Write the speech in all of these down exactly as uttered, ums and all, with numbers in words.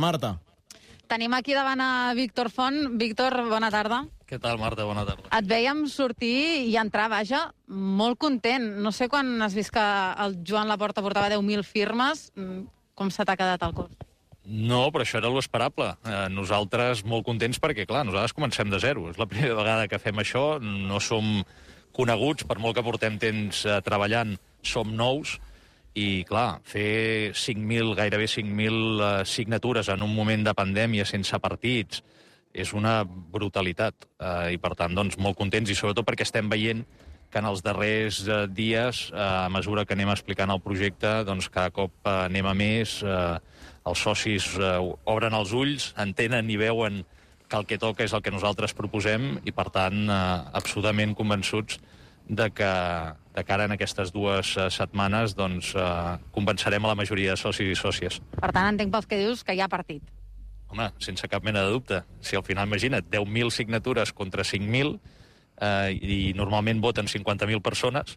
Marta. Tenim aquí davant a Víctor Font. Víctor, bona tarda. Què tal, Marta? Bona tarda. Et veiem sortir i entrar, vaja, molt content. No sé quan has vist que el Joan Laporta portava deu mil firmes. Com se t'ha quedat el cos? No, però això era l'esperable. Eh, nosaltres molt contents perquè, clar, nosaltres comencem de zero. És la primera vegada que fem això. No som coneguts, per molt que portem temps eh, treballant, som nous. I, clar, fer cinc mil, gairebé cinc mil eh, signatures en un moment de pandèmia sense partits és una brutalitat. Eh, I, per tant, doncs, molt contents, i sobretot perquè estem veient que en els darrers eh, dies, eh, a mesura que anem explicant el projecte, doncs cada cop eh, anem a més, eh, els socis eh, obren els ulls, entenen i veuen que el que toca és el que nosaltres proposem i, per tant, eh, absolutament convençuts de que de cara en aquestes dues uh, setmanes doncs, uh, convencerem a la majoria de socis i sòcies. Per tant, entenc pels que dius que hi ha partit. Home, sense cap mena de dubte. Si al final, imagina't, deu mil signatures contra cinc mil uh, i normalment voten cinquanta mil persones,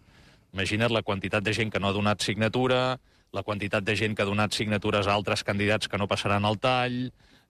imagina't la quantitat de gent que no ha donat signatura, la quantitat de gent que ha donat signatures a altres candidats que no passaran al tall,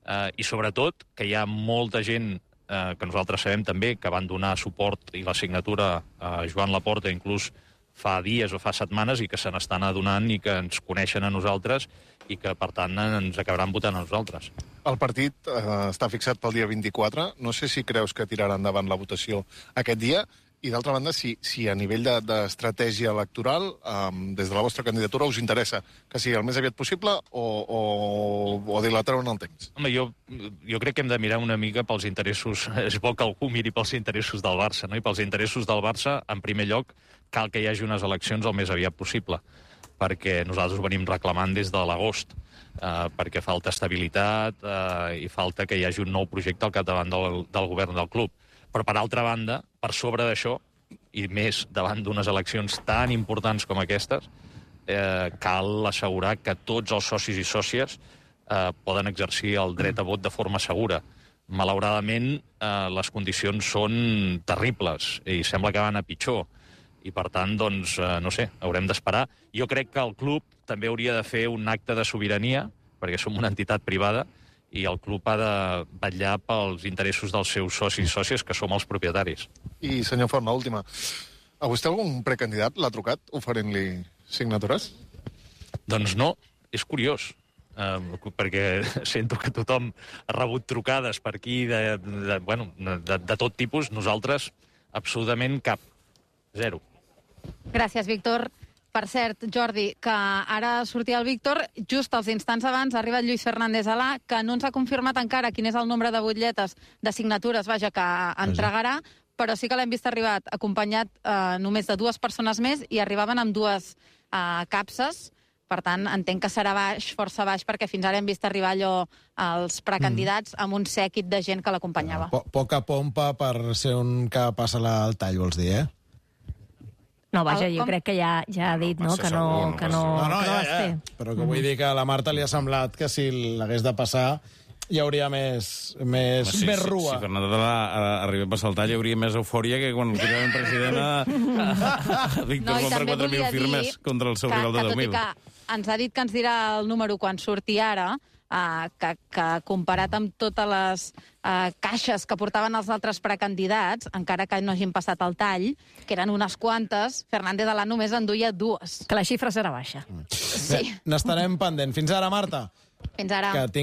uh, i sobretot que hi ha molta gent Eh, que nosaltres sabem també que van donar suport i la signatura a Joan Laporta inclús fa dies o fa setmanes i que se n'estan adonant i que ens coneixen a nosaltres i que, per tant, ens acabaran votant a nosaltres. El partit eh, està fixat pel dia vint-i-quatre. No sé si creus que tirarà endavant la votació aquest dia. I, d'altra banda, si, si a nivell d'estratègia de, electoral, um, des de la vostra candidatura, us interessa que sigui el més aviat possible o, o, o dilatar-ho en el temps? Home, jo, jo crec que hem de mirar una mica pels interessos... És bo que algú miri pels interessos del Barça, no? I pels interessos del Barça, en primer lloc, cal que hi hagi unes eleccions el més aviat possible, perquè nosaltres ho venim reclamant des de l'agost, eh, perquè falta estabilitat eh, i falta que hi hagi un nou projecte al capdavant del, del govern del club. Però, per altra banda, per sobre d'això, i més davant d'unes eleccions tan importants com aquestes, eh, cal assegurar que tots els socis i sòcies eh, poden exercir el dret a vot de forma segura. Malauradament, eh, les condicions són terribles i sembla que van a pitjor. I, per tant, doncs, eh, no sé, haurem d'esperar. Jo crec que el club també hauria de fer un acte de sobirania, perquè som una entitat privada, i el club ha de vetllar pels interessos dels seus socis i sòcies, que som els propietaris. I, senyor Font, l'última. A vostè algun precandidat l'ha trucat oferint-li signatures? Doncs no, és curiós, eh, perquè sento que tothom ha rebut trucades per aquí de, de, bueno, de, de tot tipus. Nosaltres, absolutament cap. Zero. Gràcies, Víctor. Per cert, Jordi, que ara sortia el Víctor, just als instants abans ha arribat Lluís Fernández Alà, que no ens ha confirmat encara quin és el nombre de butlletes de signatures, vaja, que entregarà, però sí que l'hem vist arribar acompanyat eh, només de dues persones més i arribaven amb dues eh, capses. Per tant, entenc que serà baix, força baix, perquè fins ara hem vist arribar allò als precandidats amb un sèquit de gent que l'acompanyava. Po Poca pompa per ser un que passa al tall, vols dir, eh? No, vaja, jo crec que ja, ja ha dit, no?, que no, que no, no, no, que no ja, es ja. té. Però que vull dir que a la Marta li ha semblat que si l'hagués de passar hi hauria més, més, sí, més sí, rua. Si Fernando arriba a passar el tall, hi hauria més eufòria que quan el president a, a Víctor No, i Font per també quatre mil volia dir firmes contra el seu que, rival de que deu tot i mil. que ens ha dit que ens dirà el número quan surti ara, Uh, que, que comparat amb totes les uh, caixes que portaven els altres precandidats, encara que no hagin passat el tall, que eren unes quantes, Fernández Alà només en duia dues. Que la xifra serà baixa. Sí. N'estarem pendent. Fins ara, Marta. Fins ara. Que tingues